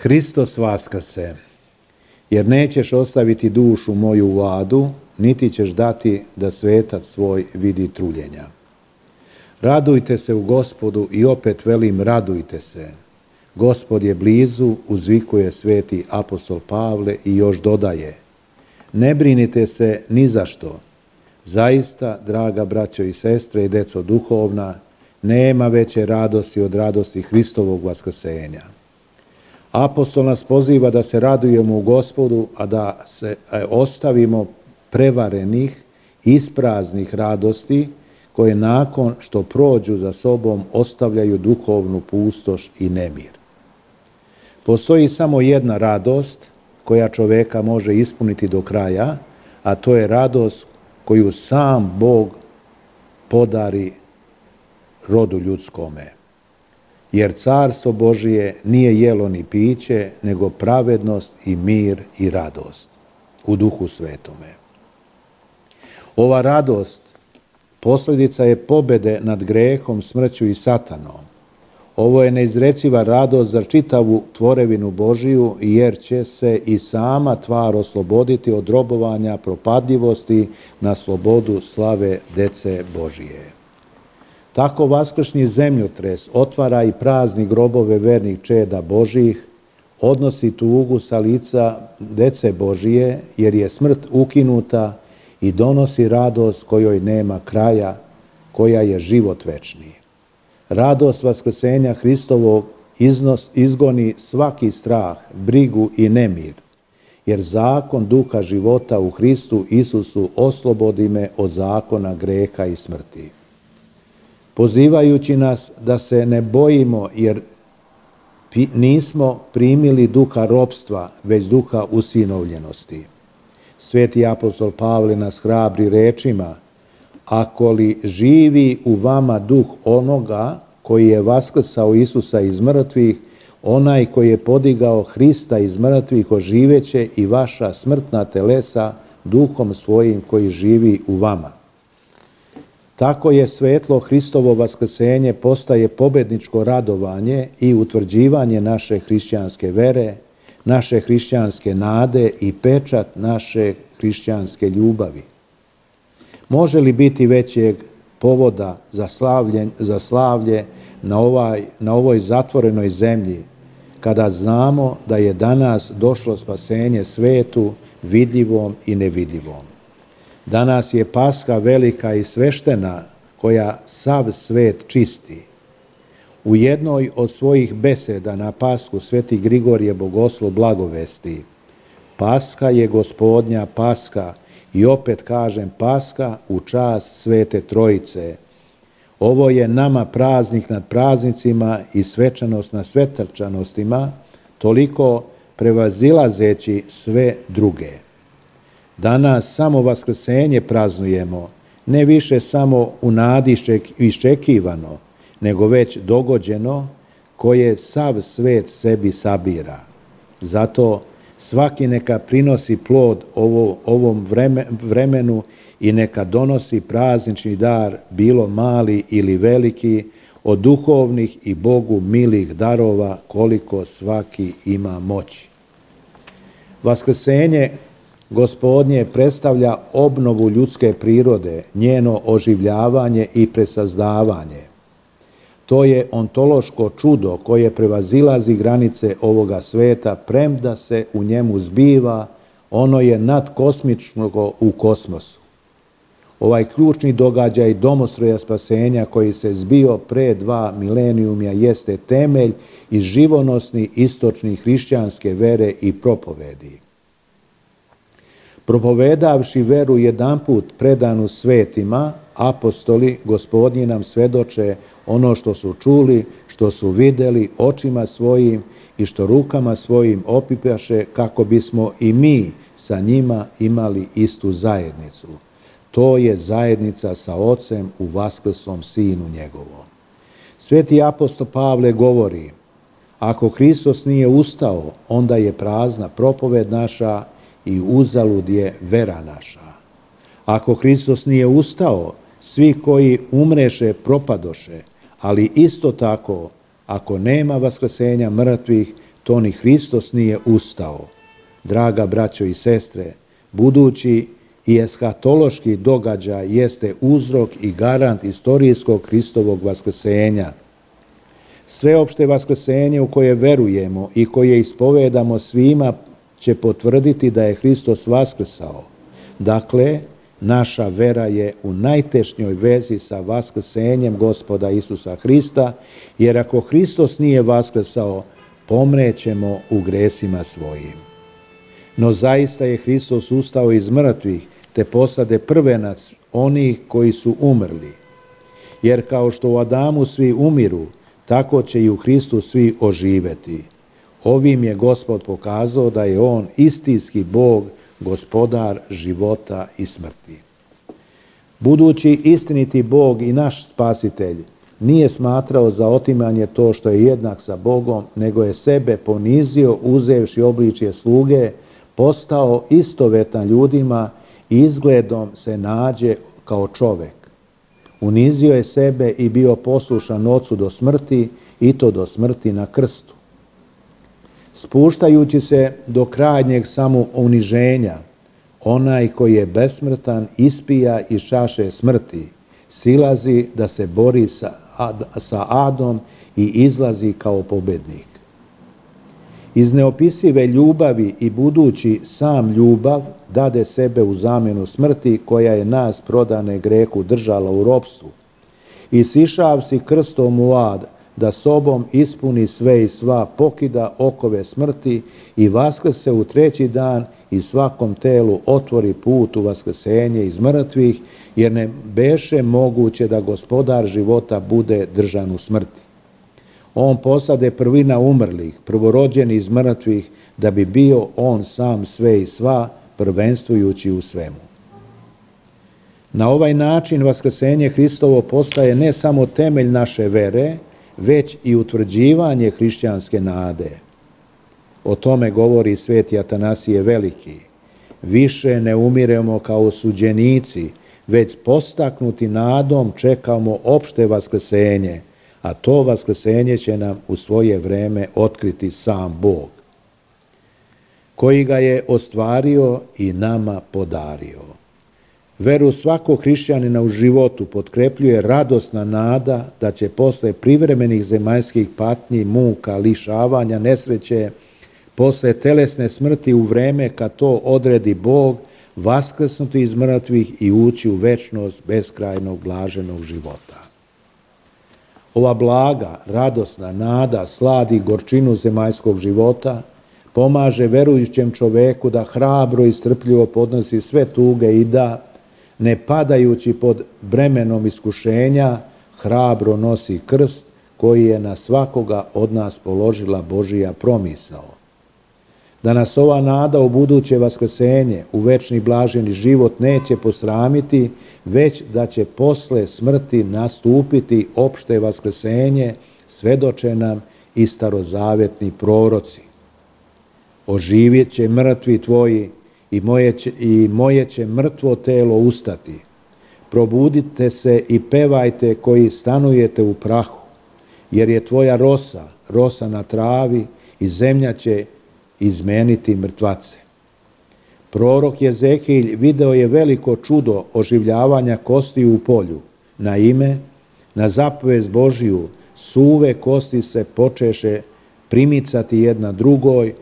Hristos vaskrse, jer nećeš ostaviti dušu moju u adu, niti ćeš dati da svetac svoj vidi truljenja. Radujte se u Gospodu i opet velim radujte se. Gospod je blizu, uzvikuje sveti apostol Pavle i još dodaje: ne brinite se ni za što. Zaista, draga braćo i sestre i deco duhovna, nema veće radosti od radosti Hristovog vaskrsenja. Apostol nas poziva da se radujemo u Gospodu, a da se ostavimo prevarenih, ispraznih radosti, koje nakon što prođu za sobom ostavljaju duhovnu pustoš i nemir. Postoji samo jedna radost koja čoveka može ispuniti do kraja, a to je radost koju sam Bog podari rodu ljudskome. Jer carstvo Božije nije jelo ni piće, nego pravednost i mir i radost u Duhu Svetome. Ova radost posljedica je pobjede nad grehom, smrću i satanom. Ovo je neizreciva radost za čitavu tvorevinu Božiju, jer će se i sama tvar osloboditi od robovanja propadljivosti na slobodu slave dece Božije. Tako vaskršnji zemljotres otvara i prazni grobove vernih čeda Božjih, odnosi tugu sa lica dece Božije, jer je smrt ukinuta, i donosi radost kojoj nema kraja, koja je život večni. Radost vaskrsenja Hristovog izgoni svaki strah, brigu i nemir, jer zakon duha života u Hristu Isusu oslobodi me od zakona greha i smrti. Pozivajući nas da se ne bojimo, jer nismo primili duha ropstva, već duha usinovljenosti. Sveti apostol Pavle nas hrabri rečima: ako li živi u vama duh onoga koji je vaskrsao Isusa iz mrtvih, onaj koji je podigao Hrista iz mrtvih oživeće i vaša smrtna telesa duhom svojim koji živi u vama. Tako je svetlo Hristovo vaskrsenje postaje pobedničko radovanje i utvrđivanje naše hrišćanske vere, naše hrišćanske nade i pečat naše hrišćanske ljubavi. Može li biti većeg povoda za slavlje na ovoj zatvorenoj zemlji, kada znamo da je danas došlo spasenje svetu, vidljivom i nevidljivom? Danas je Pasha velika i sveštena, koja sav svet čisti. U jednoj od svojih beseda na Pashu sveti Grigorije Bogoslov blagovesti: Pasha je Gospodnja Pasha, i opet kažem Pasha u čast Svete Trojice. Ovo je nama praznik nad praznicima i svečanost na svečanostima, toliko prevazilazeći sve druge. Danas samo vaskrsenje praznujemo, ne više samo u nadi iščekivano, nego već dogođeno, koje sav svet sebi sabira. Zato svaki neka prinosi plod ovom vremenu i neka donosi praznični dar, bilo mali ili veliki, od duhovnih i Bogu milih darova, koliko svaki ima moći. Vaskrsenje Gospodnje predstavlja obnovu ljudske prirode, njeno oživljavanje i presazdavanje. To je ontološko čudo koje prevazilazi granice ovoga sveta, premda se u njemu zbiva, ono je nadkosmično u kosmosu. Ovaj ključni događaj domostroja spasenja koji se zbio pre 2 milenijuma jeste temelj i živonosni istočni hrišćanske vere i propovedi. Propovedavši veru jedanput predanu svetima, apostoli Gospodnji nam svedoče ono što su čuli, što su videli očima svojim i što rukama svojim opipaše, kako bismo i mi sa njima imali istu zajednicu. To je zajednica sa Ocem u vaskrslom Sinu njegovom. Sveti apostol Pavle govori: ako Hristos nije ustao, onda je prazna propoved naša i uzalud je vera naša. Ako Hristos nije ustao, svi koji umreše propadoše, ali isto tako, ako nema vaskrsenja mrtvih, to ni Hristos nije ustao. Draga braćo i sestre, budući i eshatološki događaj jeste uzrok i garant istorijskog Hristovog vaskrsenja. Sveopšte vaskrsenje u koje verujemo i koje ispovedamo svima će potvrditi da je Hristos vaskrsao. Dakle, naša vera je u najtešnjoj vezi sa vaskrsenjem Gospoda Isusa Hrista, jer ako Hristos nije vaskrsao, pomrećemo u gresima svojim. No zaista je Hristos ustao iz mrtvih, te posade prvenac onih koji su umrli. Jer kao što u Adamu svi umiru, tako će i u Hristu svi oživeti. Ovim je Gospod pokazao da je On istinski Bog, gospodar života i smrti. Budući istiniti Bog i naš spasitelj nije smatrao za otimanje to što je jednak sa Bogom, nego je sebe ponizio uzevši obličje sluge, postao istovetan ljudima i izgledom se nađe kao čovek. Unizio je sebe i bio poslušan Ocu do smrti, i to do smrti na krstu. Spuštajući se do krajnjeg samouniženja, onaj koji je besmrtan ispija iz čaše smrti, silazi da se bori sa adom i izlazi kao pobednik. Iz neopisive ljubavi i budući sam ljubav dade sebe u zamjenu smrti koja je nas prodane grehu držala u ropstvu. I sišavsi krstom u ad, da sobom ispuni sve i sva, pokida okove smrti i vaskrse u treći dan i svakom telu otvori put u vaskrsenje iz mrtvih, jer ne beše moguće da gospodar života bude držan u smrti. On posade prvina umrlih, prvorođeni iz mrtvih, da bi bio on sam sve i sva, prvenstvujući u svemu. Na ovaj način vaskrsenje Hristovo postaje ne samo temelj naše vere, već i utvrđivanje hrišćanske nade. O tome govori sveti Atanasije Veliki. Više ne umiremo kao osuđenici, već postaknuti nadom čekamo opšte vaskrsenje, a to vaskrsenje će nam u svoje vreme otkriti sam Bog, koji ga je ostvario i nama podario. Veru svakog hrišćanina u životu potkrepljuje radosna nada da će posle privremenih zemaljskih patnji, muka, lišavanja, nesreće, posle telesne smrti u vreme kad to odredi Bog, vaskrsnuti iz mrtvih i ući u večnost beskrajnog blaženog života. Ova blaga, radosna nada sladi gorčinu zemaljskog života, pomaže verujućem čoveku da hrabro i strpljivo podnosi sve tuge i da, ne padajući pod bremenom iskušenja, hrabro nosi krst koji je na svakoga od nas položila Božija promisao. Da nas ova nada u buduće vaskrsenje, u večni blaženi život neće posramiti, već da će posle smrti nastupiti opšte vaskrsenje, svedoče nam i starozavetni proroci. Oživjet će mrtvi tvoji i moje će mrtvo telo ustati. Probudite se i pevajte koji stanujete u prahu, jer je tvoja rosa na travi i zemlja će izmeniti mrtvace. Prorok Jezekilj video je veliko čudo oživljavanja kosti u polju. Naime, na zapovest Božiju suve kosti se počeše primicati jedna drugoj,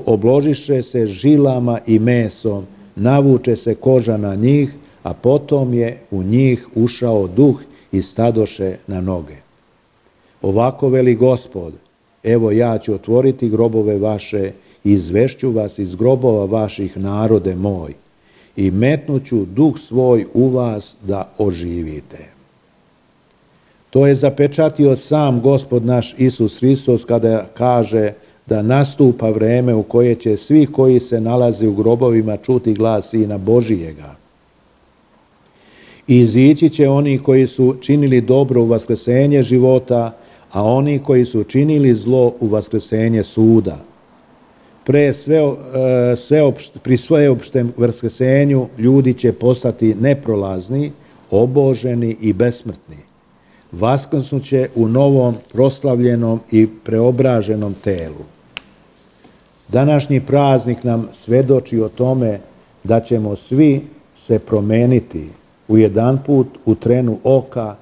obložiše se žilama i mesom, navuče se koža na njih, a potom je u njih ušao duh i stadoše na noge. Ovako veli Gospod, evo ja ću otvoriti grobove vaše i izvešću vas iz grobova vaših, narode moj, i metnuću duh svoj u vas da oživite. To je zapečatio sam Gospod naš Isus Hristos kada kaže da nastupa vreme u koje će svi koji se nalaze u grobovima čuti glas Sina Božijega. I izići će oni koji su činili dobro u vaskrsenje života, a oni koji su činili zlo u vaskrsenje suda. Pri sveopštem vaskrsenju ljudi će postati neprolazni, oboženi i besmrtni. Vaskrsnuće u novom, proslavljenom i preobraženom telu. Današnji praznik nam svedoči o tome da ćemo svi se promeniti u jedanput u trenu oka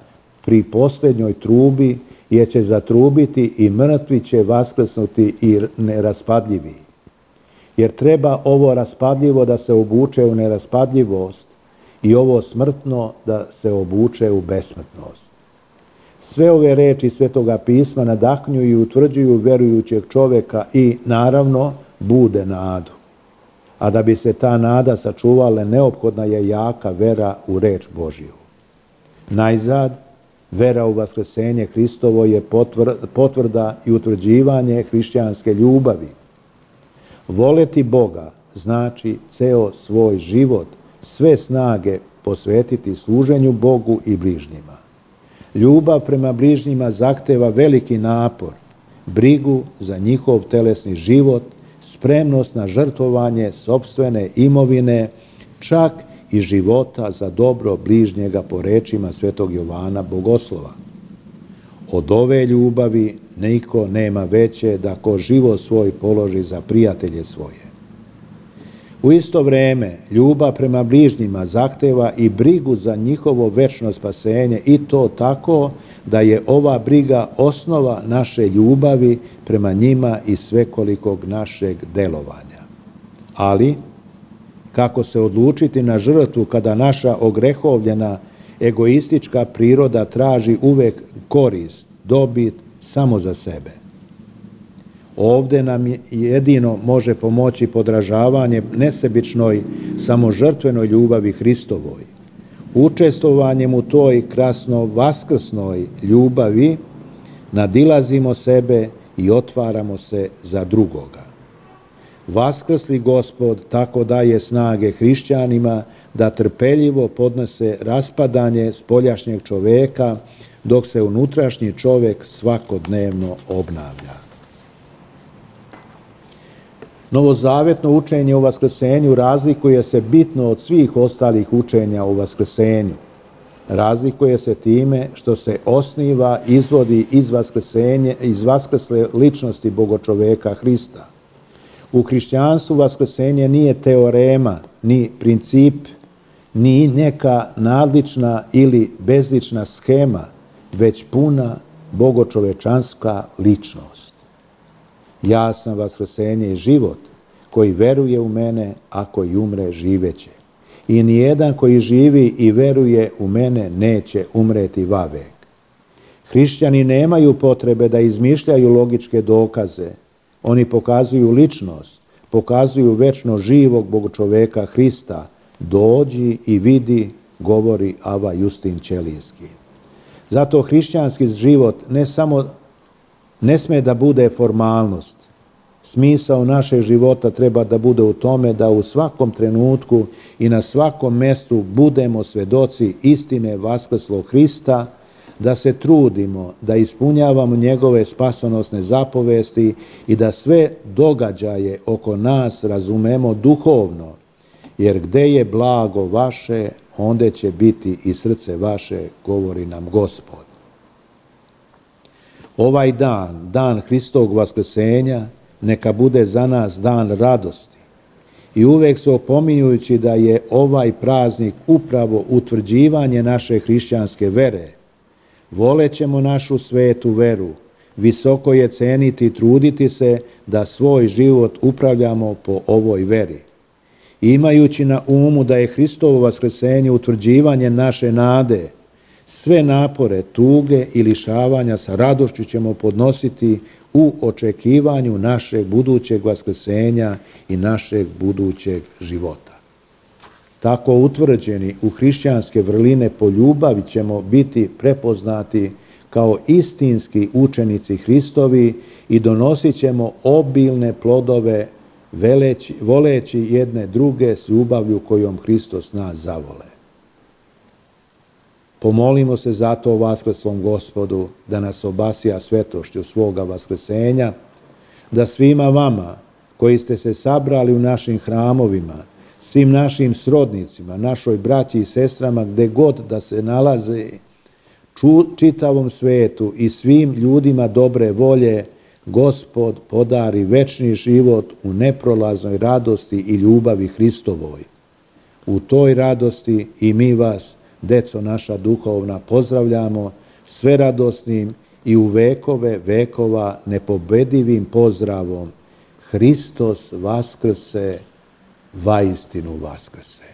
pri posljednjoj trubi, jer će zatrubiti i mrtvi će vaskrsnuti i neraspadljivi. Jer treba ovo raspadljivo da se obuče u neraspadljivost i ovo smrtno da se obuče u besmrtnost. Sve ove reči Svetoga pisma nadahnjuju i utvrđuju verujućeg čovjeka i, naravno, bude nadu. A da bi se ta nada sačuvala, neophodna je jaka vera u reč Božju. Najzad, vera u vaskrsenje Hristovo je potvrda i utvrđivanje hrišćanske ljubavi. Voleti Boga znači ceo svoj život, sve snage posvetiti služenju Bogu i bližnjima. Ljubav prema bližnjima zahteva veliki napor, brigu za njihov telesni život, spremnost na žrtvovanje sopstvene imovine, čak i života za dobro bližnjega po rečima svetog Jovana Bogoslova. Od ove ljubavi niko nema veće da ko život svoj položi za prijatelje svoje. U isto vreme, ljubav prema bližnjima zahteva i brigu za njihovo večno spasenje, i to tako da je ova briga osnova naše ljubavi prema njima i svekolikog našeg delovanja. Ali, kako se odlučiti na žrtvu kada naša ogrehovljena egoistička priroda traži uvek korist, dobit samo za sebe? Ovde nam jedino može pomoći podražavanje nesebičnoj, samožrtvenoj ljubavi Hristovoj. Učestvovanjem u toj krasno vaskrsnoj ljubavi nadilazimo sebe i otvaramo se za drugoga. Vaskrsli Gospod tako daje snage hrišćanima da trpeljivo podnose raspadanje spoljašnjeg čoveka, dok se unutrašnji čovek svakodnevno obnavlja. Novozavetno učenje o vaskrsenju razlikuje se bitno od svih ostalih učenja o vaskrsenju. Razlikuje se time što se osniva, izvodi iz vaskrsle ličnosti Bogočoveka Hrista. U hrišćanstvu vaskrsenje nije teorema, ni princip, ni neka nadlična ili bezlična schema, već puna bogočovečanska ličnost. Ja sam vaskrsenje i život, koji veruje u mene, a koji umre živeće. I nijedan koji živi i veruje u mene neće umreti vavek. Hrišćani nemaju potrebe da izmišljaju logičke dokaze. Oni pokazuju ličnost, pokazuju večno živog Bogočoveka Hrista. Dođi i vidi, govori Ava Justin Ćelijski. Zato hrišćanski život ne sme da bude formalnost. Smisao našeg života treba da bude u tome da u svakom trenutku i na svakom mestu budemo svedoci istine vaskrslog Hrista, da se trudimo, da ispunjavamo njegove spasonosne zapovesti i da sve događaje oko nas razumemo duhovno, jer gde je blago vaše, onda će biti i srce vaše, govori nam Gospod. Ovaj dan, dan Hristovog vaskrsenja, neka bude za nas dan radosti. I uvek se opominjujući da je ovaj praznik upravo utvrđivanje naše hrišćanske vere. Volećemo našu svetu veru, visoko je ceniti i truditi se da svoj život upravljamo po ovoj veri. Imajući na umu da je Hristovo vaskrsenje utvrđivanje naše nade, sve napore, tuge i lišavanja sa radošću ćemo podnositi u očekivanju našeg budućeg vaskrsenja i našeg budućeg života. Tako utvrđeni u hrišćanske vrline po ljubavi ćemo biti prepoznati kao istinski učenici Hristovi i donosit ćemo obilne plodove voleći jedne druge s ljubavlju kojom Hristos nas zavole. Pomolimo se zato vaskrslom Gospodu da nas obasja svetošću svoga vaskrsenja, da svima vama koji ste se sabrali u našim hramovima, svim našim srodnicima, našoj braći i sestrama, gde god da se nalaze, čitavom svetu i svim ljudima dobre volje, Gospod podari večni život u neprolaznoj radosti i ljubavi Hristovoj. U toj radosti i mi vas, deco naša duhovna, pozdravljamo sve radosnim i u vekove vekova nepobedivim pozdravom: Hristos vaskrse, vaistinu vaskrse.